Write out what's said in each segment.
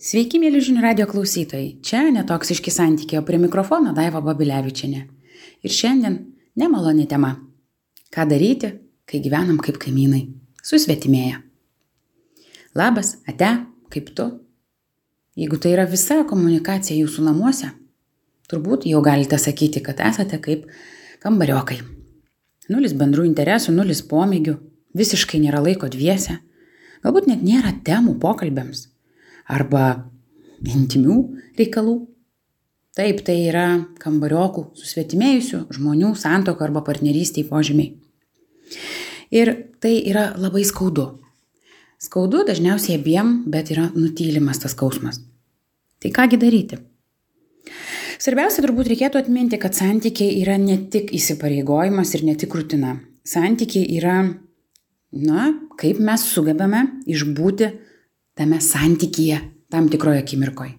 Sveiki, mėly žinių radio klausytojai. Čia netoksiški santykiai, o prie mikrofono Daiva Babilevičienė. Ir šiandien nemaloni tema. Ką daryti, kai gyvenam kaip kaimynai, susvetimėję. Labas, ate, kaip tu? Jeigu tai yra visa komunikacija jūsų namuose, turbūt jau galite sakyti, kad esate kaip kambariokai. Nulis bendrų interesų, nulis pomėgių, visiškai nėra laiko dviese, galbūt net nėra temų pokalbėms. Arba intimių reikalų. Taip, tai yra kambariokų, susvetimėjusių žmonių santuoka arba partnerystėje požymiai. Ir tai yra labai skaudu. Skaudu dažniausiai abiem, bet yra nutylimas tas skausmas. Tai kągi daryti? Svarbiausia turbūt reikėtų atminti, kad santykiai yra ne tik įsipareigojimas ir ne tik rutina. Santykiai yra, kaip mes sugebame išbūti tame santykyje tam tikroje akimirkoje.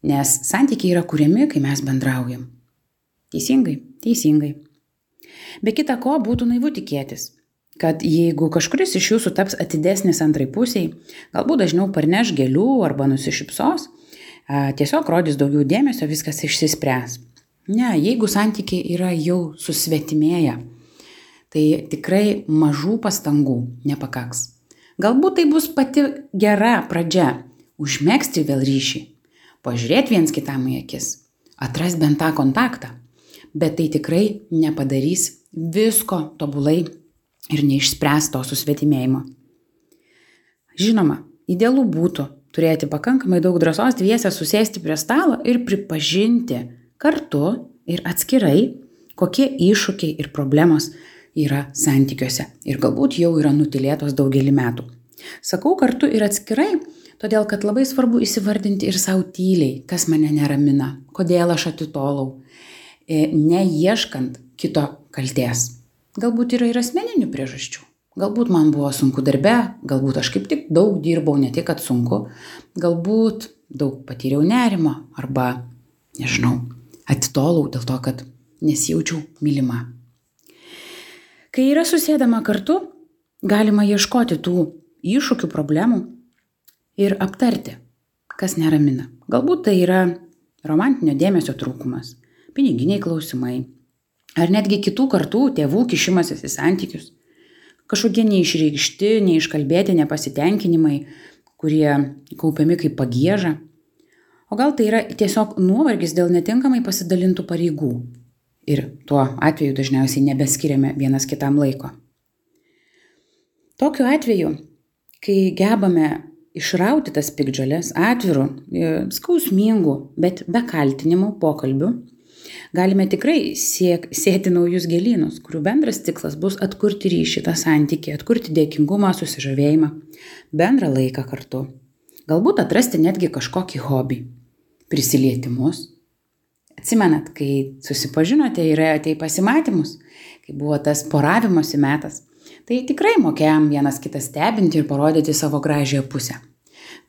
Nes santykiai yra kuriami, kai mes bendraujam. Teisingai. Be kita ko būtų naivu tikėtis, kad jeigu kažkuris iš jūsų taps atidesnis antrai pusiai, galbūt dažniau parneš gėlių arba nusišypsos, tiesiog rodys daugiau dėmesio, viskas išsispręs. Ne, jeigu santykiai yra jau susvetimėję, tai tikrai mažų pastangų nepakaks. Galbūt tai bus pati gera pradžia užmegzti vėl ryšį, pažiūrėti viens kitam į akis, atras bent tą kontaktą, bet tai tikrai nepadarys visko tobulai ir neišspręs to susvetimėjimo. Žinoma, idealu būtų turėti pakankamai daug drąsos dviese susėsti prie stalo ir pripažinti kartu ir atskirai, kokie iššūkiai ir problemos yra santykiuose ir galbūt jau yra nutylėtos daugelį metų. Sakau kartu ir atskirai, todėl kad labai svarbu įsivardinti ir savo tyliai, kas mane neramina, kodėl aš atitolau, neieškant kito kaltės. Galbūt yra ir asmeninių priežasčių. Galbūt man buvo sunku darbe, galbūt aš kaip tik daug dirbau, ne tik kad sunku, galbūt daug patyriau nerimo arba, atitolau dėl to, kad nesijaučiau mylima. Kai yra susėdama kartu, galima ieškoti tų iššūkių, problemų ir aptarti, kas neramina. Galbūt tai yra romantinio dėmesio trūkumas, piniginiai klausimai, ar netgi kitų kartų tėvų kišimasis į santykius, kažkokie neišreikšti, neiškalbėti nepasitenkinimai, kurie kaupiami kaip pagieža. O gal tai yra tiesiog nuovargis dėl netinkamai pasidalintų pareigų. Ir tuo atveju dažniausiai nebeskiriame vienas kitam laiko. Tokiu atveju, kai gebame išrauti tas piktžoles atvirų, skausmingų, bet be kaltinimų pokalbių, galime tikrai sėti naujus gėlynus, kurių bendras tikslas bus atkurti ryšį, tą santykį, atkurti dėkingumą, susižavėjimą, bendrą laiką kartu. Galbūt atrasti netgi kažkokį hobį, prisilietimus. Atsimenat, kai susipažinote ir ėjote į pasimatymus, kai buvo tas poravimosi metas, tai tikrai mokėjom vienas kitą stebinti ir parodyti savo gražiąją pusę.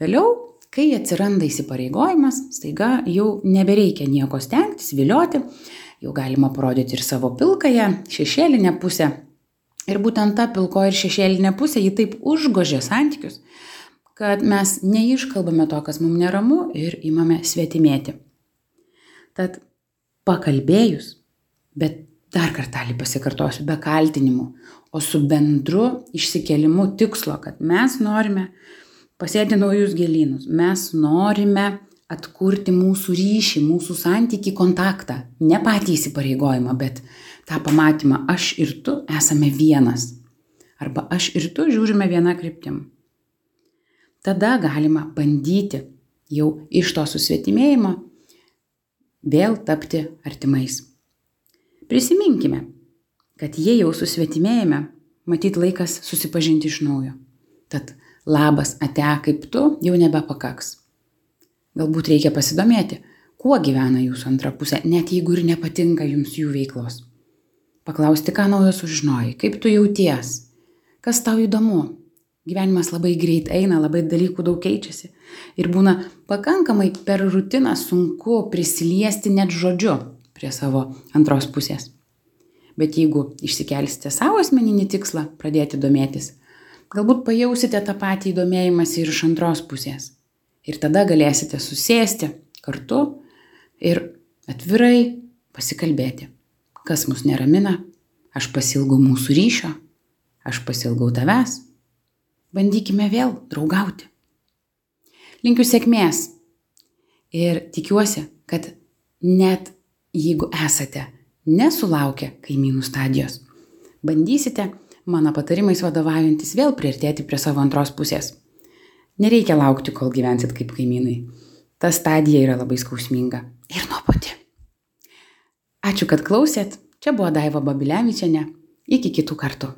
Vėliau, kai atsiranda įsipareigojimas, staiga jau nebereikia nieko stengtis, vilioti, jau galima parodyti ir savo pilkąją, šešėlinę pusę. Ir būtent ta pilko ir šešėlinė pusė, ji taip užgožia santykius, kad mes neiškalbame to, kas mums neramu ir imame svetimėti. Tad pakalbėjus, bet dar kartelį pasikartosiu, be kaltinimų, o su bendru išsikėlimu tikslo, kad mes norime pasėti naujus gėlynus, mes norime atkurti mūsų ryšį, mūsų santykį, kontaktą, ne patį įsipareigojimą, bet tą pamatymą, aš ir tu esame vienas, arba aš ir tu žiūrime viena kryptim. Tada galima bandyti jau iš to susvetimėjimo vėl tapti artimais. Prisiminkime, kad jei jau susvetimėjame, matyt laikas susipažinti iš naujo. Tad labas, ate, kaip tu, jau nebepakaks. Galbūt reikia pasidomėti, kuo gyvena jūsų antra pusė, net jeigu ir nepatinka jums jų veiklos. Paklausti, ką naujo sužinojai, kaip tu jauties, kas tau įdomu. Gyvenimas labai greit eina, labai dalykų daug keičiasi ir būna pakankamai per rutiną sunku prisiliesti net žodžiu prie savo antros pusės. Bet jeigu išsikelsite savo asmeninį tikslą pradėti domėtis, galbūt pajausite tą patį domėjimąsi ir iš antros pusės. Ir tada galėsite susėsti kartu ir atvirai pasikalbėti, kas mus neramina. Aš pasiilgau mūsų ryšio, aš pasiilgau tavęs. Bandykime vėl draugauti. Linkiu sėkmės ir tikiuosi, kad net jeigu esate nesulaukę kaimynų stadijos, bandysite mano patarimais vadovaujantis vėl priartėti prie savo antros pusės. Nereikia laukti, kol gyvensit kaip kaimynai. Ta stadija yra labai skausminga ir nuobodi. Ačiū, kad klausėt. Čia buvo Daiva Babilevičienė. Iki kitų kartų.